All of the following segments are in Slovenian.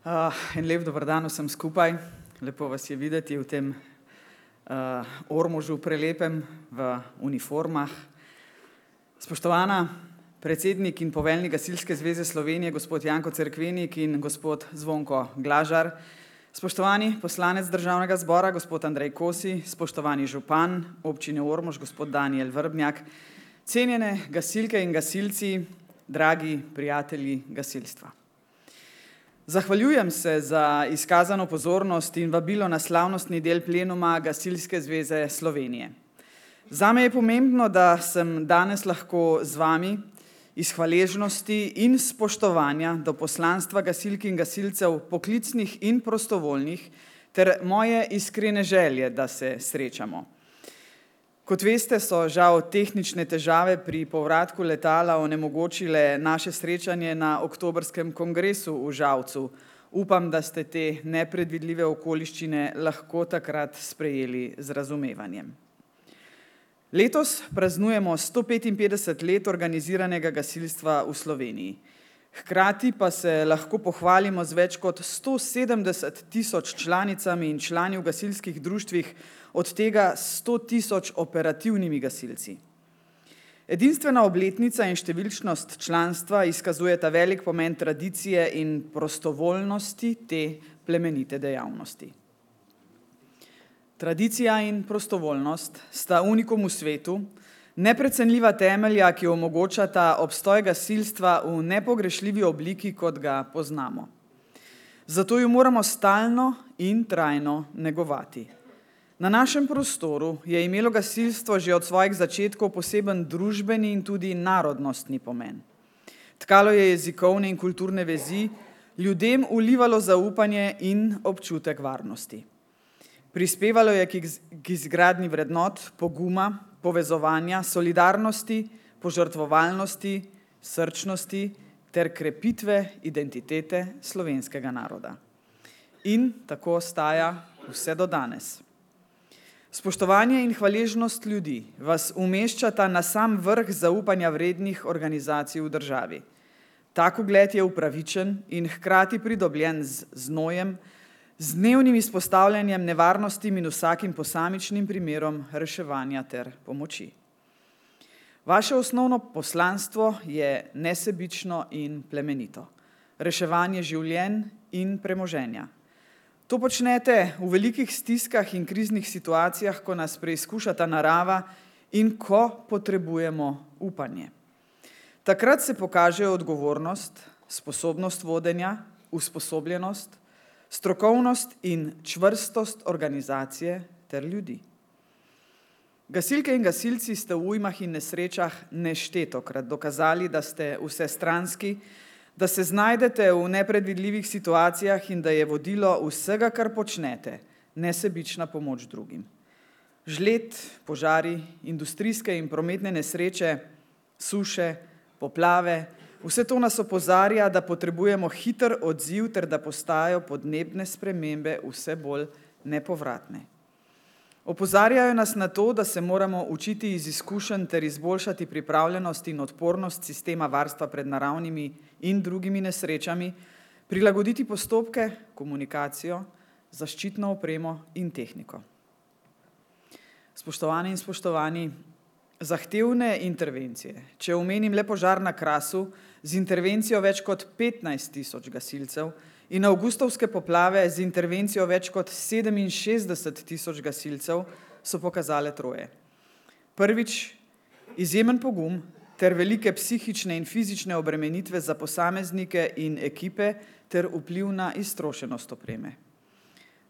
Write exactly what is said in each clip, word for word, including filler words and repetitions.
Uh, en lep dober dan vsem skupaj. Lepo vas je videti v tem uh, Ormožu prelepem v uniformah. Spoštovana predsednik in poveljnik Gasilske zveze Slovenije, gospod Janko Cerkvenik in gospod Zvonko Glažar, spoštovani poslanec Državnega zbora, gospod Andrej Kosi, spoštovani župan občine Ormož, gospod Danijel Vrbnjak, cenjene gasilke in gasilci, dragi prijatelji gasilstva. Zahvaljujem se za izkazano pozornost in vabilo na slavnostni del plenuma Gasilske zveze Slovenije. Zame je pomembno, da sem danes lahko z vami iz hvaležnosti in spoštovanja do poslanstva gasilk in gasilcev, poklicnih in prostovoljnih, ter moje iskrene želje, da se srečamo. Kot veste, so žal tehnične težave pri povratku letala onemogočile naše srečanje na oktobrskem kongresu v Žalcu. Upam, da ste te nepredvidljive okoliščine lahko takrat sprejeli z razumevanjem. Letos praznujemo sto petinpetdeset let organiziranega gasilstva v Sloveniji. Hkrati pa se lahko pohvalimo z več kot sto sedemdeset tisoč članicami in člani v gasilskih društvih, od tega sto tisoč operativnimi gasilci. Edinstvena obletnica in številčnost članstva izkazujeta velik pomen tradicije in prostovoljnosti te plemenite dejavnosti. Tradicija in prostovoljnost sta unikum v svetu, neprecenljiva temelja, ki omogočata obstoj gasilstva v nepogrešljivi obliki, kot ga poznamo. Zato jo moramo stalno in trajno negovati. Na našem prostoru je imelo gasilstvo že od svojih začetkov poseben družbeni in tudi narodnostni pomen. Tkalo je jezikovne in kulturne vezi, ljudem vlivalo zaupanje in občutek varnosti. Prispevalo je k izgradnji vrednot, poguma, povezovanja, solidarnosti, požrtvovalnosti, srčnosti ter krepitve identitete slovenskega naroda. In tako ostaja vse do danes. Spoštovanje in hvaležnost ljudi vas umeščata na sam vrh zaupanja vrednih organizacij v državi. Tak ugled je upravičen in hkrati pridobljen z znojem, z dnevnim izpostavljanjem nevarnostim in vsakim posamičnim primerom reševanja ter pomoči. Vaše osnovno poslanstvo je nesebično in plemenito. Reševanje življenj in premoženja. To počnete v velikih stiskah in kriznih situacijah, ko nas preizkušata narava in ko potrebujemo upanje. Takrat se pokažejo odgovornost, sposobnost vodenja, usposobljenost, strokovnost in čvrstost organizacije ter ljudi. Gasilke in gasilci ste v ujmah in nesrečah neštetokrat dokazali, da ste vsestranski, da se znajdete v nepredvidljivih situacijah in da je vodilo vsega, kar počnete, nesebična pomoč drugim. Žled, požari, industrijske in prometne nesreče, suše, poplave, vse to nas opozarja, da potrebujemo hiter odziv ter da postajajo podnebne spremembe vse bolj nepovratne. Opozarjajo nas na to, da se moramo učiti iz izkušenj ter izboljšati pripravljenost in odpornost sistema varstva pred naravnimi in drugimi nesrečami, prilagoditi postopke, komunikacijo, zaščitno opremo in tehniko. Spoštovane in spoštovani, zahtevne intervencije, če omenim le požar na Krasu z intervencijo več kot petnajst tisoč gasilcev in avgustovske poplave z intervencijo več kot sedeminšestdeset tisoč gasilcev, so pokazale troje. Prvič, izjemen pogum ter velike psihične in fizične obremenitve za posameznike in ekipe ter vpliv na iztrošenost opreme.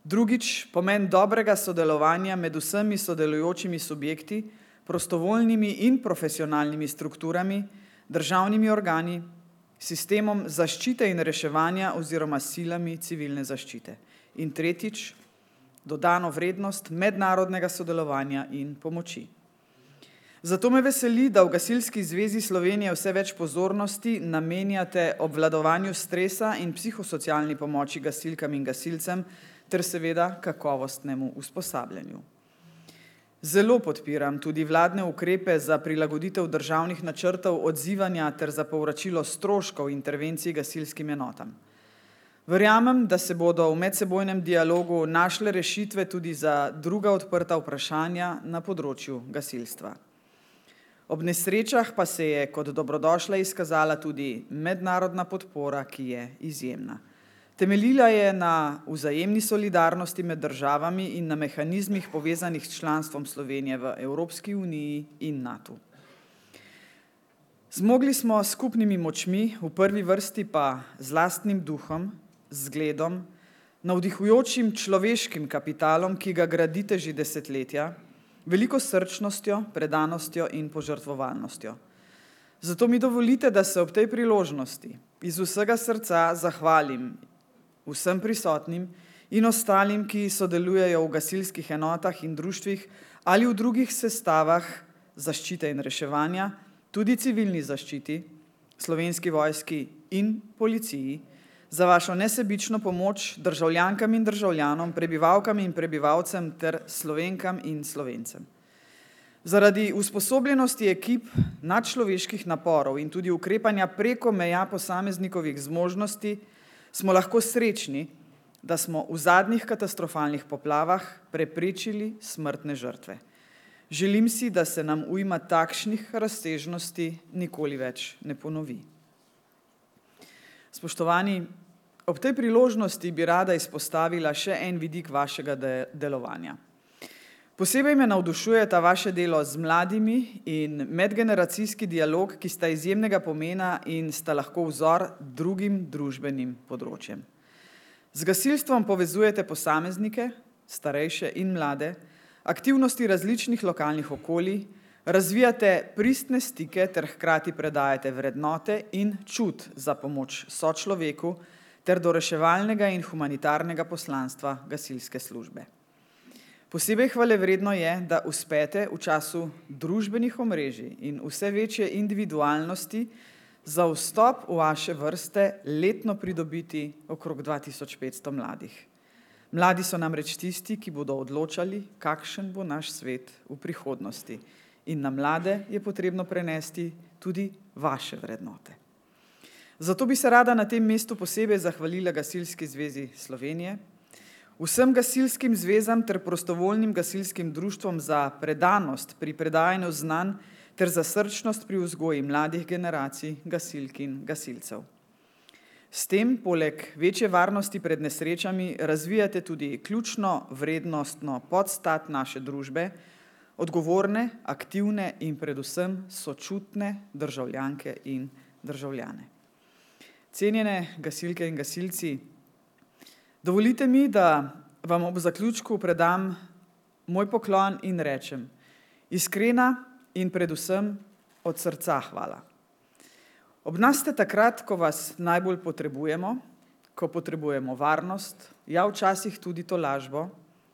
Drugič, pomen dobrega sodelovanja med vsemi sodelujočimi subjekti, prostovoljnimi in profesionalnimi strukturami, državnimi organi, sistemom zaščite in reševanja oziroma silami civilne zaščite. In tretjič, dodano vrednost mednarodnega sodelovanja in pomoči. Zato me veseli, da v Gasilski zvezi Slovenije vse več pozornosti namenjate obvladovanju stresa in psihosocialni pomoči gasilkam in gasilcem ter seveda kakovostnemu usposabljanju. Zelo podpiram tudi vladne ukrepe za prilagoditev državnih načrtov odzivanja ter za povračilo stroškov intervencij gasilskim enotam. Verjamem, da se bodo v medsebojnem dialogu našle rešitve tudi za druga odprta vprašanja na področju gasilstva. Ob nesrečah pa se je kot dobrodošla izkazala tudi mednarodna podpora, ki je izjemna. Temeljila je na vzajemni solidarnosti med državami in na mehanizmih povezanih s članstvom Slovenije v Evropski uniji in NATO. Zmogli smo s skupnimi močmi, v prvi vrsti pa z lastnim duhom, zgledom, navdihujočim človeškim kapitalom, ki ga gradite že desetletja, veliko srčnostjo, predanostjo in požrtvovalnostjo. Zato mi dovolite, da se ob tej priložnosti iz vsega srca zahvalim vsem prisotnim in ostalim, ki sodelujejo v gasilskih enotah in društvih ali v drugih sestavah zaščite in reševanja, tudi civilni zaščiti, Slovenski vojski in policiji, za vašo nesebično pomoč državljankam in državljanom, prebivalkam in prebivalcem ter Slovenkam in Slovencem. Zaradi usposobljenosti ekip, nadčloveških naporov in tudi ukrepanja preko meja posameznikovih zmožnosti smo lahko srečni, da smo v zadnjih katastrofalnih poplavah preprečili smrtne žrtve. Želim si, da se nam ujma takšnih razsežnosti nikoli več ne ponovi. Spoštovani, ob tej priložnosti bi rada izpostavila še en vidik vašega de- delovanja. Posebej me navdušuje ta vaše delo z mladimi in medgeneracijski dialog, ki sta izjemnega pomena in sta lahko vzor drugim družbenim področjem. Z gasilstvom povezujete posameznike, starejše in mlade, aktivnosti različnih lokalnih okolij, razvijate pristne stike ter hkrati predajate vrednote in čut za pomoč sočloveku ter do reševalnega in humanitarnega poslanstva gasilske službe. Posebej hvalevredno je, da uspete v času družbenih omrežij in vse večje individualnosti za vstop v vaše vrste letno pridobiti okrog dva tisoč petsto mladih. Mladi so namreč tisti, ki bodo odločali, kakšen bo naš svet v prihodnosti. In na mlade je potrebno prenesti tudi vaše vrednote. Zato bi se rada na tem mestu posebej zahvalila Gasilski zvezi Slovenije, vsem gasilskim zvezam ter prostovoljnim gasilskim društvom za predanost pri predajanju znanj ter za srčnost pri vzgoji mladih generacij gasilk in gasilcev. S tem, poleg večje varnosti pred nesrečami, razvijate tudi ključno vrednostno podstat naše družbe, odgovorne, aktivne in predvsem sočutne državljanke in državljane. Cenjene gasilke in gasilci, dovolite mi, da vam ob zaključku predam moj poklon in rečem: iskrena in predvsem od srca hvala. Ob nas ste takrat, ko vas najbolj potrebujemo, ko potrebujemo varnost, ja včasih tudi tolažbo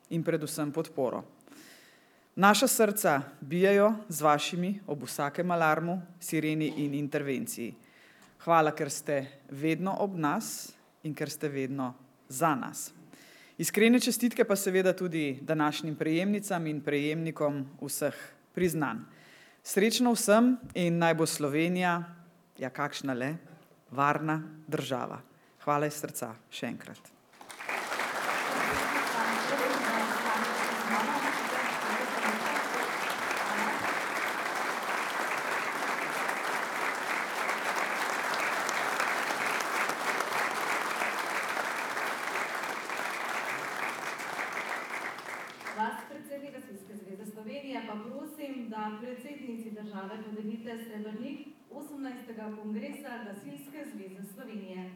in predvsem podporo. Naša srca bijejo z vašimi ob vsakem alarmu, sireni in intervenciji. Hvala, ker ste vedno ob nas in ker ste vedno za nas. Iskrene čestitke pa seveda tudi današnjim prejemnicam in prejemnikom vseh priznanj. Srečno vsem in naj bo Slovenija, ja kakšna le, varna država. Hvala iz srca še enkrat. Vas, predsednik Gasilske zveze Slovenije, pa prosim, da predsednici države podelite srebrnik osemnajstega kongresa Gasilske zveze Slovenije.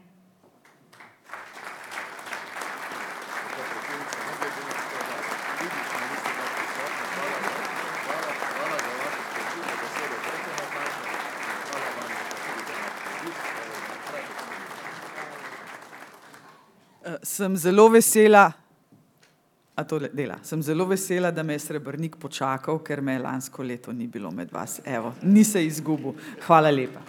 Sem zelo vesela, a to dela, sem zelo vesela, da me je srebrnik počakal, ker me lansko leto ni bilo med vas. Evo, ni se izgubil. Hvala lepa.